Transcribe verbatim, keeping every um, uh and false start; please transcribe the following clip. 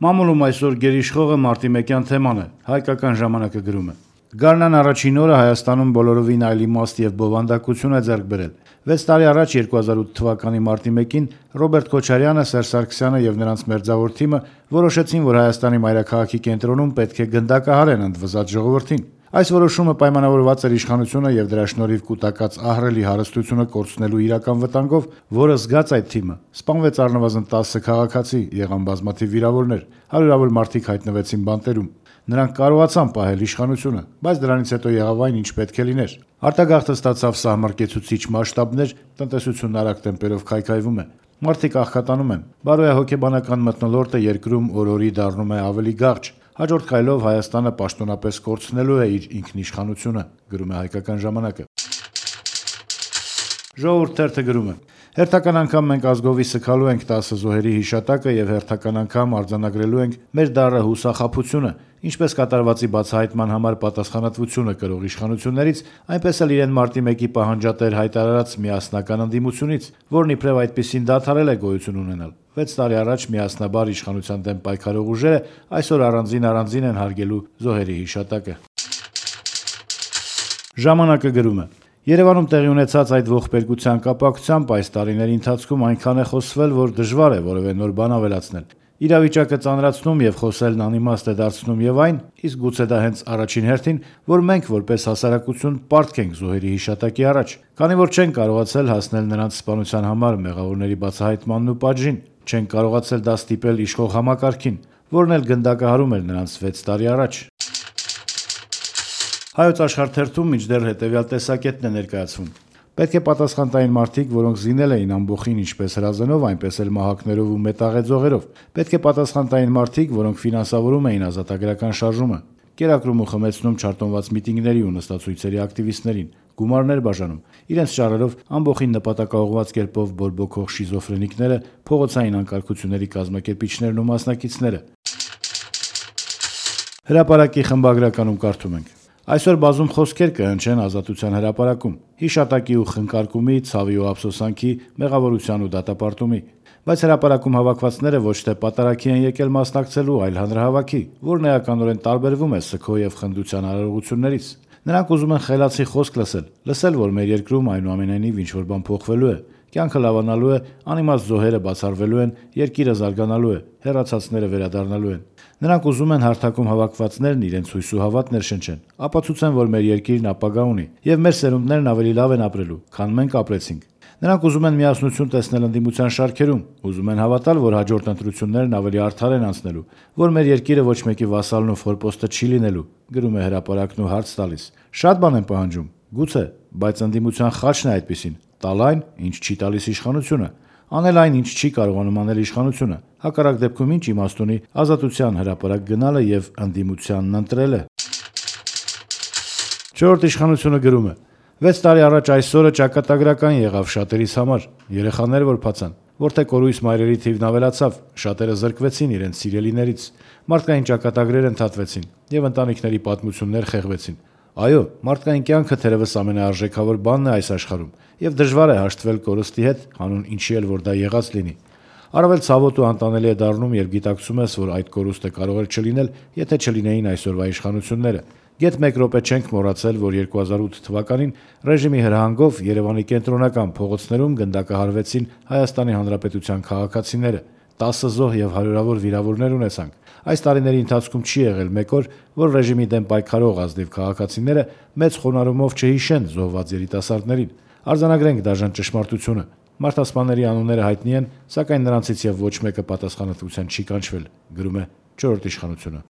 Մամուլում այսօր գերիշխողը մարտիմեկյան թեման է, հայկական ժամանակը գրում է. Գարնան առաջին օրը Հայաստանում բոլորովին այլ իմաստ եւ բովանդակություն է ձեռք բերել։ վեց տարի առաջ երկու հազար ութ թվականի մարտի մեկին Ռոբերտ Քոչարյանը, Սերժ Սարգսյանը եւ նրանց մերձավոր թիմը որոշեցին, որ Հայաստանի մայրաքաղաքի կենտրոնում պետք է գնդակահարեն ընդվզած ժողովրդին։ Այս որոշումը պայմանավորված էր իշխանությունը եւ դրա շնորհիվ կուտակած ահռելի հարստությունը կորցնելու իրական վտանգով, որը զգաց այդ թիմը։ Սպանվեց առնվազն տասը քաղաքացի, եղան բազմաթիվ վիրավորներ, հարյուրավոր մարդիկ հայտնվեցին բանտերում։ Նրանք կարողացան պահել իշխանությունը, բայց դրանից հետո եղավ այն, ինչ պետք է լիներ։ Արտագաղթը ստացավ սահմռկեցուցիչ մասշտաբներ, տնտեսությունն արագ տեմպերով քայքայվում է։ Մարդիկ աղքատանում են։ Բարոյահոգեբանական մթնոլորտը երկրում օր-օրի դառնում է ավելի գաղջ։ Հաջորդ քայլով Հայաստանը պաշտոնապես կորցնելու է իր ինքնիշխանությունը, գրում է Հայկական ժամանակը։ Ժողովուրդ թերթը գրում է. հերթական անգամ մենք ազգովի սգալու ենք տասը զոհերի հիշատակը եւ հերթական անգամ արձանագրելու ենք մեր դառը հուսախաբությունը, ինչպես կատարվածի բացահայտման համար պատասխանատվությունը կրող իշխանություններից, այնպես էլ իրեն մարտի մեկի պահանջատեր հայտարարած միասնական ընդդիմությունից, որն իբրև այդպիսին դադարել է գոյություն ունենալ։ վեց տարի առաջ միասնաբար իշխանության դեմ պայքարող ուժերը այսօր առանձին-առանձին են հարգելու զոհերի հիշատակը։ Ժամանակը գրում է. Երևանում տեղի ունեցած այդ ողբերգության կապակցությամբ այս տարիների ընթացքում այնքան է խոսվել, որ դժվար է որևէ նոր բան ավելացնել։ Իրավիճակը ծանրացնում եւ խոսելն անիմաստ է դարձնում եւ այն, իսկ գուցե դա հենց առաջին հերթին, որ մենք որպես հասարակություն պարտք ենք զոհերի հիշատակի առաջ, քանի որ չենք կարողացել հասնել նրանց սպանության համար մեղավորների բացահայտմանն ու պատժին, չենք կարողացել դա ստիպել իշխող համակարգին, որն էլ գնդակահարում էր նրանց վեց տարի առաջ։ Հայոց աշխարհ թերթում մինչդեռ հետևյալ տեսակետն է ներկայացվում. Պետք է պատասխան տային մարդիկ, որոնք զինել էին ամբոխին ինչպես հրազենով, այնպես էլ մահակներով ու մետաղեձողերով։ Պետք է պատասխան տային մարդիկ, որոնք ֆինանսավորում էին ազատագրական շարժումը, կերակրում ու խմեցնում չարտոնված միտինգների ու նստացույցերի ակտիվիստներին, գումարներ բաժանում, իրենց շարերով ամբոխին նպատակաուղղված կերպով բորբոքող շիզոֆրենիկները, փողոցային անկարգությունների կազմակերպիչներն ու մասնակիցները։ Հրապարակի խմբագրականում կարդում ենք. Այսօր բազում խոսքեր կհնչեն Ազատության հրապարակում, հիշատակի ու խնկարկումի, ցավի ու ափսոսանքի, մեղավորության ու դատապարտումի, բայց հրապարակում հավաքվածները ոչ թե պատարագի են եկել մասնակցելու, այլ հանրահավաքի, որն էականորեն տարբերվում է սգո եւ խնդության արարողություններից։ Նրանք ուզում են խելացի խոսք լսել, լսել, որ մեր երկրում այնուամենայնիվ ինչ-որ բան փոխվելու է, կյանքը լավանալու է, անիմաստ զոհերը բացառվելու են, երկիրը զարգանալու է, հեռացածները վերադառնալու են։ Նրանք ուզում են հարթակում հավաքվածներն իրենց հույս ու հավատ ներշնչեն, ապացուցեն, որ մեր երկիրն ապագա ունի, եւ մեր սերունդներն ավելի լավ են ապրելու, քան մենք ապրեցինք։ Նրանք ուզում են միասնություն տեսնել ընդդիմության շարքերում, ուզում են հավատալ, որ հաջորդ ընտրություններն ավելի արդար են անցնելու, որ մեր երկիրը ոչ մեկի վասալն ու ֆորպոստը չի լինելու, գրում է հրապարակն ու հարց տալիս. Շատ բան են պահանջում, գուցե, բայց ընդդիմության խաչն է այդպիսին, տալ այն, ինչ չի տալիս իշխանությունը, անել այն, ինչ չի կարողանում անել իշխանությունը, հակառակ դեպքում ինչ իմաստ ունի Ազատության հրապարակ գնալը եւ ընդդիմությանն ընտրելը։ Չորրորդ իշխանությունը գրում է. վեց տարի առաջ այսօրը ճակատագրական եղավ շատերիս համար, երեխաներ որ փացան, որտեղ կորույս մայրերի թիվն ավելացավ, շատերը զրկվեցին իրենց սիրելիներից, մարդկային ճակատագրեր ընդհատվեցին եւ ընտանիքների պատմություններ խեղվեցին։ Այո, մարդկային կյանքը թերևս ամենաարժեքավոր բանն է այս աշխարհում, եւ դժվար է հաշտվել կորստի հետ, հանուն ինչի էլ որ դա եղած լինի։ Առավել ցավոտ ու անտանելի է դառնում, երբ գիտակցում ես, որ այդ կորուստը կարող էր չլինել, եթե չլինեին այսօրվա իշխանությունները։ Գեթ մեկ րոպե չենք մոռացել, որ երկու հազար ութ թվականին ռեժիմի հրահանգով Երևանի կենտրոնական փողոցներում գնդակահարվեցին Հայաստանի Հանրապետության քաղաքացիները, տասը զոհ եւ հարյուրավոր վիրավորներ ունեցանք։ Այս տարիների ընթացքում չի եղել մեկ օր, որ ռեժիմի դեմ պայքարող ազնիվ քաղաքացիները մեծ խոնարհումով չհիշեն զոհված երիտասարդներին։ Արձանագրենք դաժան ճշմարտությունը։ Մարդասպանների անունները հայտնի են, սակայն նրանցից եւ ոչ մեկը պատասխանատվության չի կանչվել, գրում է չորրորդ իշխանությունը։